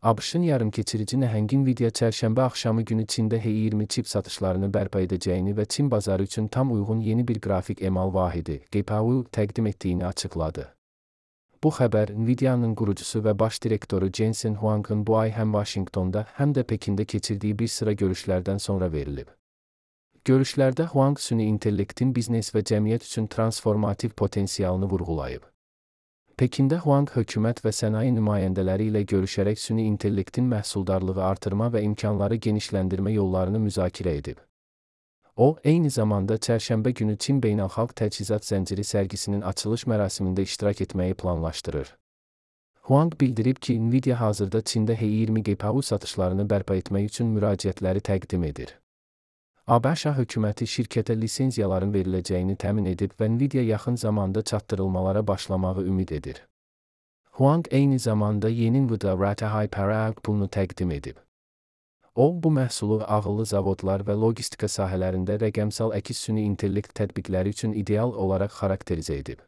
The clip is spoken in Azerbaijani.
ABŞ-ın yarımkeçirici nəhəng Nvidia çərşənbə axşamı günü Çində H20 çip satışlarını bərpa edəcəyini və Çin bazarı üçün tam uyğun yeni bir qrafik emal vahidi GPU təqdim etdiyini açıqladı. Bu xəbər Nvidia'nın qurucusu və baş direktoru Jensen Huang'ın bu ay həm Vaşinqtonda, həm də Pekində keçirdiyi bir sıra görüşlərdən sonra verilib. Görüşlərdə Huang süni intellektin biznes və cəmiyyət üçün transformativ potensialını vurğulayıb. Pekində Huang hökumət və sənaye nümayəndələri ilə görüşərək süni intellektin məhsuldarlığı artırma və imkanları genişləndirmə yollarını müzakirə edib. O, eyni zamanda çərşənbə günü Çin Beynəlxalq Təchizat Zənciri sərgisinin açılış mərasimində iştirak etməyi planlaşdırır. Huang bildirib ki, Nvidia hazırda Çində H20 GPU satışlarını bərpa etmək üçün müraciətləri təqdim edir. ABŞ hökuməti şirkətə lisenziyaların veriləcəyini təmin edib və Nvidia yaxın zamanda çatdırılmalara başlamağı ümid edir. Huang eyni zamanda yeni Nvidia Rata Hyper pulunu təqdim edib. O, bu məhsulu ağıllı zavodlar və logistika sahələrində rəqəmsal əkiz süni intellekt tətbiqləri üçün ideal olaraq xarakterizə edib.